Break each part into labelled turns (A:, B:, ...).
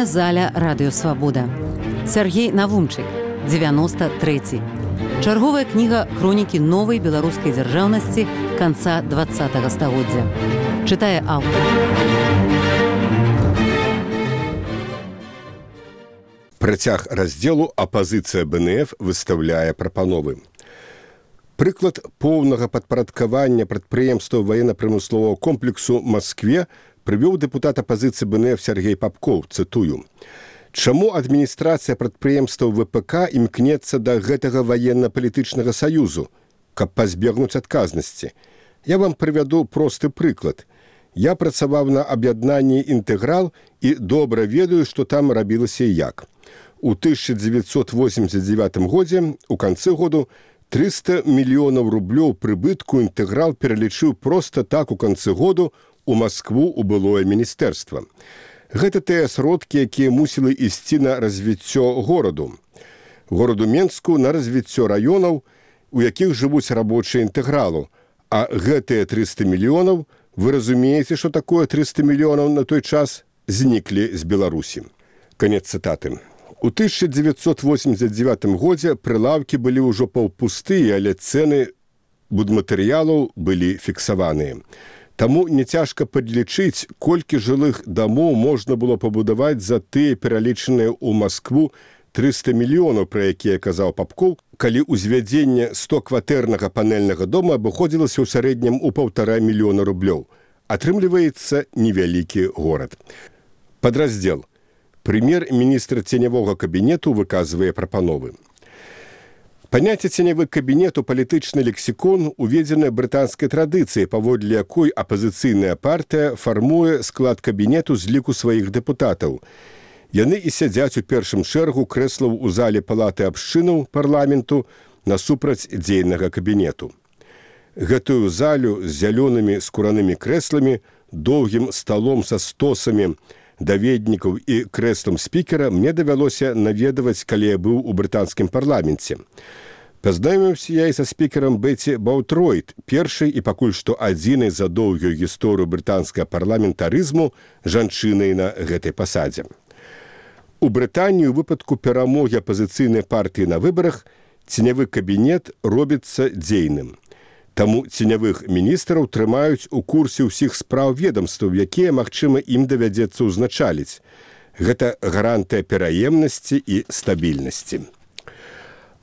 A: Чытальная заля радыёвабода. Сяргей Навумчык, 93. Чарговая кніга хронікі новай беларускай дзяржаўнасці канца 20-го стагоддзя. Чытае аўтар.
B: Працяг раздзелу «Апазіцыя БНФ» выстаўляе прапановы. Прыклад поўнага падпарадкавання прадпрыемстваў ваенна-прамысловага комплексу Маскве прывёў дэпутат апазіцыі БНФ Сергей Попков, цытую. Чаму адміністрацыя прадпрыемстваў ВПК імкнецца да гэтага ваенна-палітычнага саюзу, каб пазбегнуць адказнасці? Я вам прывяду просты прыклад. Я працаваў на аб'яднанні «Інтэграл» і добра ведаю, што там рабілася і як. У 1989 годзе, у канцы году, 300 мільёнаў рублёў прыбытку «Інтэграл» пералічыў проста так у канцы году у Маскву у былое міністэрства. Гэта тыя сродкі, якія мусілі ісці на развіццё гораду. Гораду Менску на развіццё раёнаў, у якіх жывуць рабочыя «Інтэгралу». А гэтыя 300 мільёнаў, вы разумееце, што такое 300 мільёнаў на той час, зніклі з Беларусі. Канец цытаты. У 1989 годзе прылаўкі былі ўжо паўпустыя, але цэны будматэрыялаў былі фіксаваныя. Таму няцяжка падлічыць, колькі жылых дамоў можна было пабудаваць за тыя пералічаныя ў Маскву 300 мільёнаў, пра якія казаў Попков, калі ўзвядзенне 100-кватэрнага панельнага дома абыходзілася ў сярэднім у 1,5 мільёна рублёў. Атрымліваецца невялікі горад. Падраздзел. Прэм'ер-міністр ценявога кабінету выказвае прапановы. Паняцце ценявы кабінет у палітычны лексікон уведзены брытанскай традыцыяй, паводле якой апазіцыйная партыя фармуе склад кабінету з ліку сваіх дэпутатаў. Яны і сядзяць у першым шэрагу крэслаў у зале палаты абшчынаў парламенту насупраць дзейнага кабінету. Гэтую залю з зялёнымі скуранымі крэсламі, доўгім сталом са стосамі, даведнікаў і крэслам спікера мне давялося наведаваць, калі я быў у брытанскім парламенце. Пазнаёміўся я і са спікерам Беці Баутройт, першай і пакуль што адзінай за доўгую гісторыю брытанскага парламентарызму жанчынай на гэтай пасадзе. У Брытаніі ў выпадку перамогі апазіцыйнай партыі на выбарах ценявы кабінет робіцца дзейным. Таму ценявых міністраў трымаюць у курсе ўсіх спраў ведамстваў, якія, магчыма, ім давядзецца ўзначаліць. Гэта гарантыя пераемнасці і стабільнасці.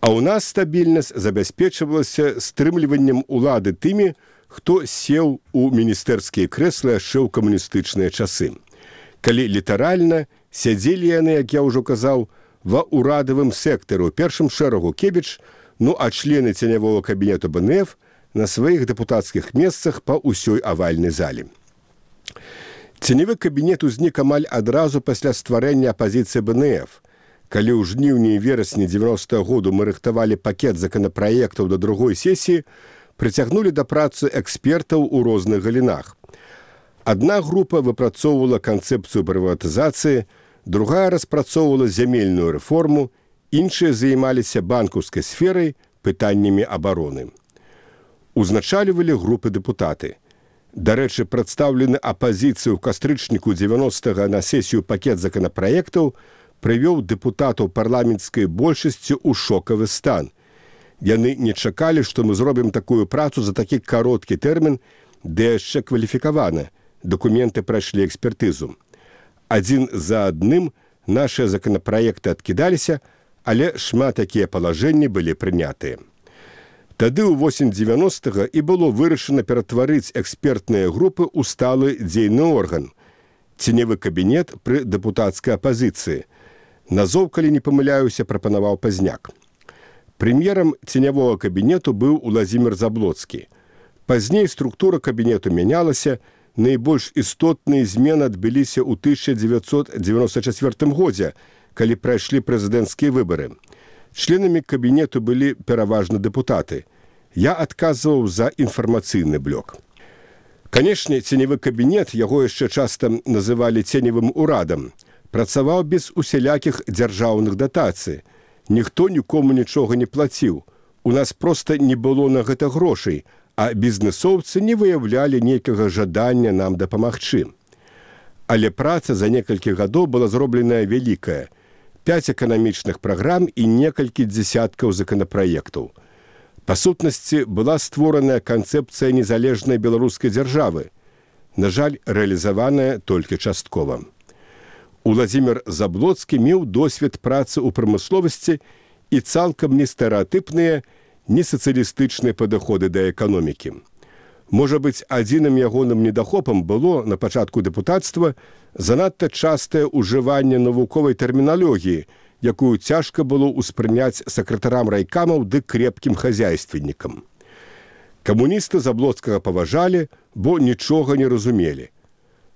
B: А ў нас стабільнасць забяспечвалася стрымліваннем улады тымі, хто сеў у міністэрскія крэслы яшчэ ў камуністычныя часы. Калі літаральна, сядзелі яны, як я ўжо казаў, ва ўрадавым сектару, у першым шэрагу Кебіч, ну а члены ценявога кабінету БНФ на сваіх дэпутацкіх месцах па ўсёй авальнай зале. Ценявы кабінет узнік амаль адразу пасля стварэння апазіцыі БНФ. Калі ў жніўні і верасні 90-го году мы рыхтавалі пакет законапраектаў да другой сесіі, прыцягнулі да працы экспертаў у розных галінах. Адна група выпрацоўвала канцэпцыю прыватызацыі, другая распрацоўвала зямельную рэформу, іншыя займаліся банкаўскай сферай, пытаннямі абароны. Узначалівалі групы дэпутаты. Дарэчы, прадстаўлены апазіцыю ў кастрычніку 90-го на сесію пакет законапраектаў прывёў дэпутатаў парламенцкай большасці ў шокавы стан. Яны не чакалі, што мы зробім такую працу за такі кароткі тэрмін, ды яшчэ кваліфікавана. Дакументы прайшлі экспертызу. Адзін за адным нашыя законапраекты адкідаліся, але шмат якія палажэнні былі прынятыя. Тады ў восень 90-го і было вырашана ператварыць экспертныя групы ў сталы дзейны орган – ценявы кабінет пры дэпутацкай апазіцыі. Назоў, калі не памыляюся, прапанаваў Пазняк. Прэм'ерам ценявога кабінету быў Уладзімір Заблоцкі. Пазней структура кабінету мянялася, найбольш істотныя змены адбыліся ў 1994 годзе, калі прайшлі прэзідэнцкія выбары. Членамі кабінету былі пераважна дэпутаты. Я адказваў за інфармацыйны блок. Канешне, ценявы кабінет, яго яшчэ часта называлі ценевым урадам, працаваў без усялякіх дзяржаўных датацый. Ніхто нікому нічога не плаціў. У нас проста не было на гэта грошай, а бізнесоўцы не выяўлялі нейкага жадання нам дапамагчы. Але праца за некалькі гадоў была зробленая вялікая. 5 эканамічных праграм і некалькі дзесяткаў законапраектаў. Па сутнасці, была створаная канцэпцыя незалежнай беларускай дзяржавы. На жаль, рэалізаваная толькі часткова. Уладзімір Заблоцкі меў досвед працы ў прамысловасці і цалкам не стэрэатыпныя, не сацыялістычныя падыходы да эканомікі. Можа быць, адзіным ягоным недахопам было на пачатку дэпутацтва занадта частае ўжыванне навуковай тэрміналогіі, якую цяжка было ўспрыняць сакратарам райкамаў ды крепкім хазяйственнікам. Камуністы Заблоцкага паважалі, бо нічога не разумелі.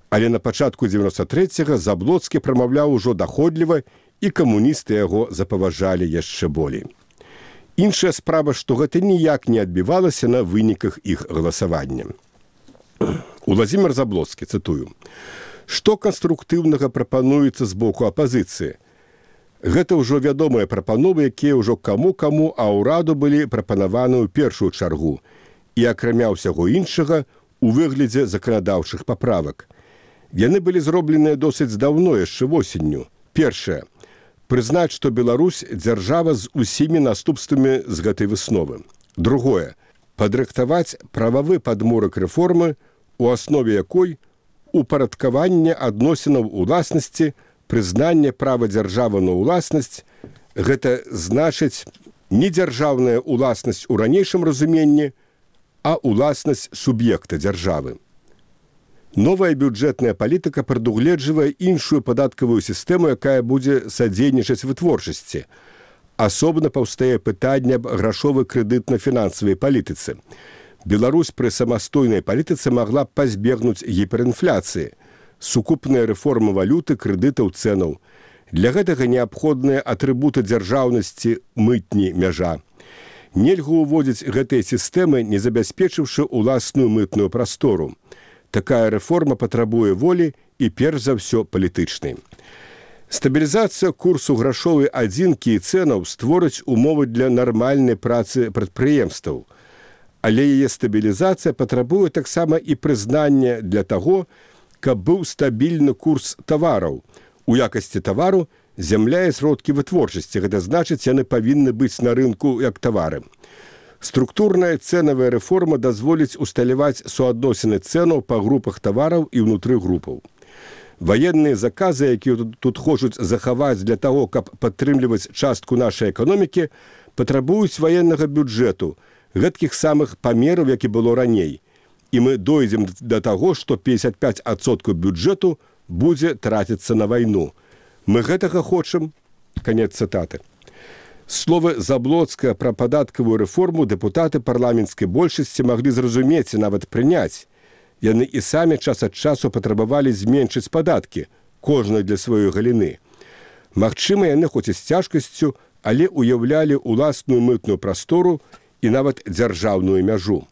B: Але на пачатку 93-го Заблоцкі прамаўляў ужо даходліва, і камуністы яго запаважалі яшчэ болей. Іншая справа, што гэта ніяк не адбівалася на выніках іх галасавання. Уладзімір Заблоцкі, цытую, «Што канструктыўнага прапануецца з боку апазіцыі? Гэта ўжо вядомыя прапановы, якія ўжо каму-каму, а ўраду былі прапанаваны ў першую чаргу і, акрамя ўсяго іншага, у выглядзе заканадаўчых паправак. Яны былі зробленыя досыць даўно, яшчэ восенню. Першае. Прызнаць, што Беларусь – дзяржава з усімі наступствамі з гэтай высновы. Другое. Падрыхтаваць прававы падмурак рэформы, у аснове якой упарадкаванне адносінаў уласнасці, прызнанне права дзяржавы на ўласнасць, гэта значыць не дзяржаўная ўласнасць у ранейшым разуменні, а ўласнасць суб'екта дзяржавы. Новая бюджэтная палітыка прадугледжвае іншую падаткавую сістэму, якая будзе садзейнічаць вытворчасці. Асобна паўстае пытанне аб грашовай крэдытна-фінансавай палітыцы. Беларусь пры самастойнай палітыцы магла б пазбегнуць гіперінфляцыі, сукупная рэформа валюты, крэдытаў, цэнаў. Для гэтага неабходныя атрыбуты дзяржаўнасці, мытні, мяжа. Нельга ўводзіць гэтыя сістэмы, не забяспечыўшы ўласную мытную прастору. Такая рэформа патрабуе волі і, перш за ўсё, палітычнай. Стабілізацыя курсу грашовай адзінкі і цэнаў створыць умовы для нармальнай працы прадпрыемстваў. Але яе стабілізацыя патрабуе таксама і прызнання для таго, каб быў стабільны курс тавараў. У якасці тавару зямля і сродкі вытворчасці, гэта значыць, яны павінны быць на рынку як тавары. Структурная цэнавая рэформа дазволіць усталяваць суадносіны цэнаў па групах тавараў і ўнутры групаў. Ваенныя заказы, якія тут хочуць захаваць для таго, каб падтрымліваць частку нашай эканомікі, патрабуюць ваеннага бюджэту, гэткіх самых памераў, як і было раней. І мы дойдзем да таго, што 55% бюджэту будзе траціцца на вайну. Мы гэтага хочам? Канец цытаты. Словы Заблоцкага пра падаткавую рэформу дэпутаты парламенцкай большасці маглі зразумець і нават прыняць. Яны і самі час ад часу патрабавалі зменшыць падаткі, кожны для сваёй галіны. Магчыма, яны хоць і з цяжкасцю, але уяўлялі ўласную мытную прастору і нават дзяржаўную мяжу.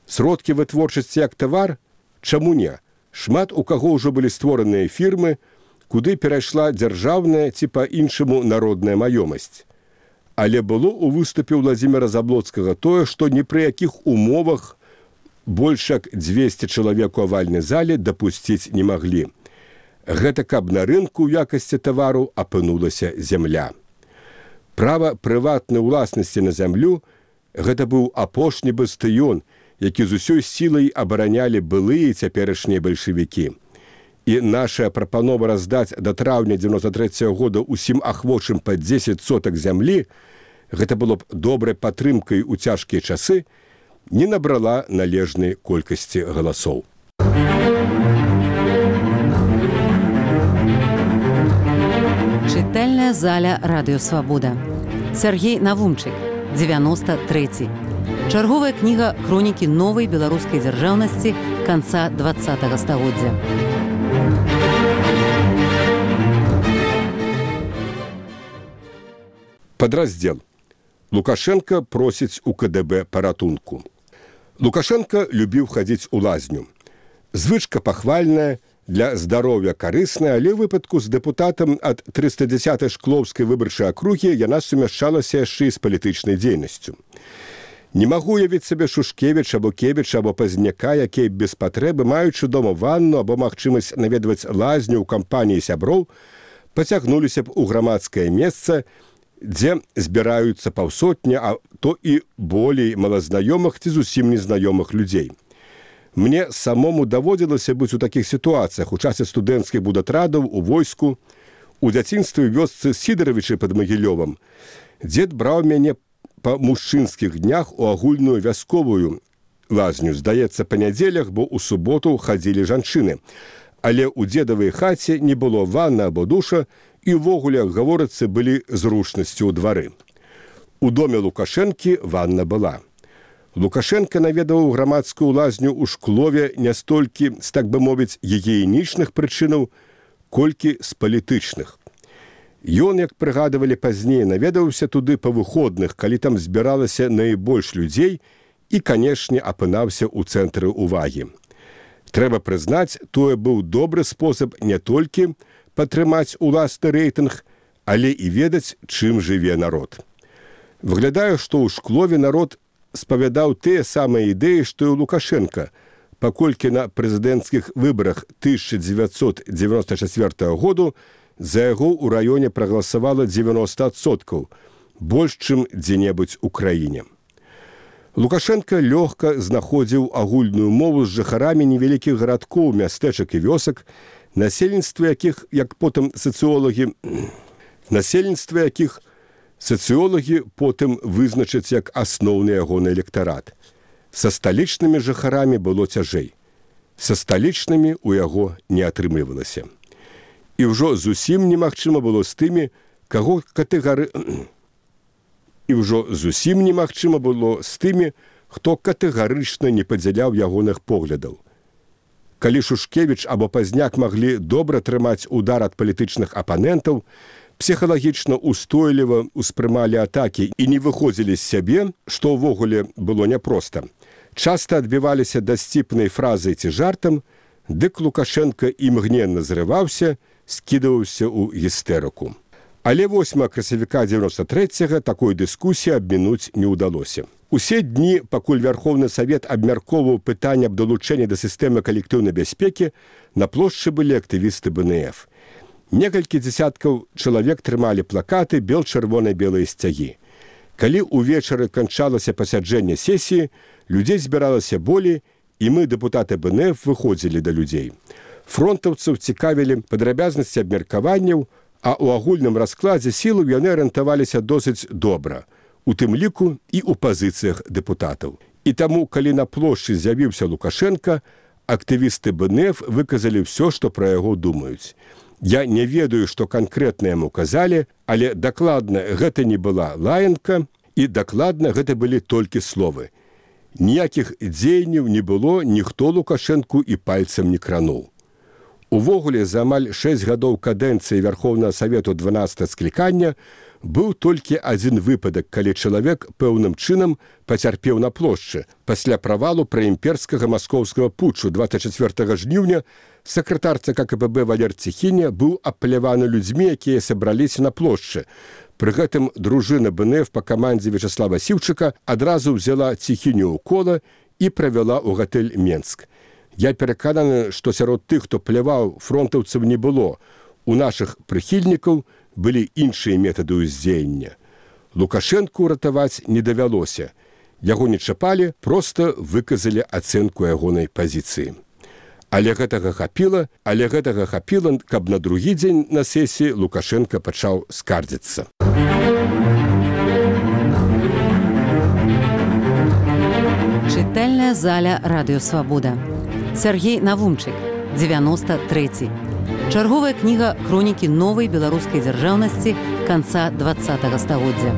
B: Сродкі вытворчасці як тавар? Чаму не? Шмат у каго ўжо былі створаныя фірмы, куды перайшла дзяржаўная ці па-іншаму народная маёмасць. Але было ў выступе Уладзіміра Заблоцкага тое, што ні пры якіх умовах больш як 200 чалавек у авальнай зале дапусціць не маглі. Гэта каб на рынку ў якасці тавару апынулася зямля. Права прыватнай уласнасці на зямлю – гэта быў апошні бастыён, які з усёй сілай абаранялі былыя і цяперашнія бальшавікі. І наша прапанова раздаць да траўня 93-го года усім ахвочым па 10 сотак зямлі, гэта было б добрай падтрымкай у цяжкія часы, не набрала належнай колькасці галасоў.
A: Чытальная заля Радыё Свабода. Сергей Навумчык, 93. Чарговая кніга хронікі новай беларускай дзяржаўнасці канца 20-го стагоддзя.
B: Падраздзел. Лукашенко просіць у КДБ паратунку. Лукашенко любіў хадзіць у лазню. Звычка пахвальная, для здароўя карысная, але ў выпадку з дэпутатам ад 310-й шклоўскай выбарчай акругі яна сумяшчалася яшчэ і з палітычнай дзейнасцю. Не магу уявіць сабе Шушкевіча або Кевіча або Пазняка, якія без патрэбы, маючы дома ванну або магчымасць наведваць лазню ў кампаніі сяброў, пацягнуліся б у грамадскае месца, дзе збіраюцца паўсотні, а то і болей малазнаёмых ці зусім незнаёмых людзей. Мне самому даводзілася быць у такіх сітуацыях у часе студэнцкіх будатрадаў, у войску, у дзяцінстве вёсцы Сідаравічы пад Магілёвам. Дзед браў мяне па мужчынскіх днях у агульную вясковую лазню. Здаецца, па нядзелях, бо ў суботу хадзілі жанчыны. Але ў дзедавай хаце не было ванны або душа, і ўвогуле, гаворыцца, былі зручнасці ў двары. У доме Лукашэнкі ванна была. Лукашенко наведаваў грамадскую лазню ў Шклове не столькі з, так бы мовіць, гігіенічных прычынаў, колькі з палітычных. Ён, як прыгадывалі пазней, наведаўся туды па выходных, калі там збіралася найбольш людзей і, канешне, апынаўся ў цэнтры ўвагі. Трэба прызнаць, тое быў добры спосаб не толькі падтрымаць уласны рэйтынг, але і ведаць, чым жыве народ. Выглядае, што ў Шклове народ спавядаў тыя самыя ідэі, што і ў Лукашенка, паколькі на прэзідэнцкіх выбарах 1994 году за яго ў раёне прагаласавала 90%, больш, чым дзе-небудзь у краіне. Лукашенка лёгка знаходзіў агульную мову з жыхарамі невялікіх гарадкоў, мястэчак і вёсак, насельніцтва якіх, як потым сацыёлагі потым вызначаць як асноўны ягоны электарат. Са сталічнымі жыхарамі было цяжэй. Са сталічнымі ў яго не атрымлівалася. І ўжо зусім немагчыма было з тымі, хто катэгарычна не падзяляў ягоных поглядаў. Калі Шушкевіч або Пазняк маглі добра трымаць удар ад палітычных апанентаў, псіхалагічна устойліва ўспрымалі атакі і не выходзілі з сябе, што ўвогуле было няпроста. Часта адбіваліся дасціпнай фразай ці жартам, дык Лукашенка імгненна зрываўся, скідаваўся ў гістэрыку. Але 8 красавіка 93-го такой дыскусіі абмінуць не ўдалося. Усе дні, пакуль Верховны Савет абмяркоўваў пытанне аб далучэнні да сістэмы калектыўнай бяспекі, на плошчы былі актывісты БНФ. Некалькі дзесяткаў чалавек трымалі плакаты бел-чырвона-белыя сцягі. Калі ўвечары канчалася пасяджэнне сесіі, людзей збіралася болей, і мы, дэпутаты БНФ, выходзілі да людзей. Фронтаўцаў цікавілі падрабязнасці абмеркаванняў, а ў агульным раскладзе сілаў яны арыентаваліся досыць добра, у тым ліку і ў пазіцыях дэпутатаў. І таму, калі на плошчы з'явіўся Лукашенка, актывісты БНФ выказалі ўсё, што пра яго думаюць. Я не ведаю, што канкрэтна яму казалі, але дакладна гэта не была лаянка, і дакладна гэта былі толькі словы. Ніякіх дзеянняў не было, ніхто Лукашэнку і пальцам не крануў. Увогуле, за амаль 6 гадоў кадэнцыі Верховнага Савету 12 склікання быў толькі адзін выпадак, калі чалавек пэўным чынам пацярпеў на плошчы. Пасля правалу праімперскага маскоўскага путчу 24 жніўня сакратар ЦК КПБ Валер Ціхіня быў апляваны людзьмі, якія сабраліся на плошчы. Пры гэтым дружына БНФ па камандзе Вячаслава Сіўчыка адразу ўзяла Ціхіню ў кола і правяла ў гатэль Менск. Я перакананы, што сярод тых, хто пляваў, фронтаўцаў не было. У нашых прыхільнікаў былі іншыя метады ўздзеяння. Лукашэнку ратаваць не давялося. Яго не чапалі, проста выказалі ацэнку ягонай пазіцыі. Але гэтага хапіла, каб на другі дзень на сесіі Лукашенка пачаў скардзіцца.
A: Чытальная заля Радыё Свабода. Сергей Навумчык, 93. Чарговая кніга хронікі новай беларускай дзяржаўнасці канца 20-го стагоддзя.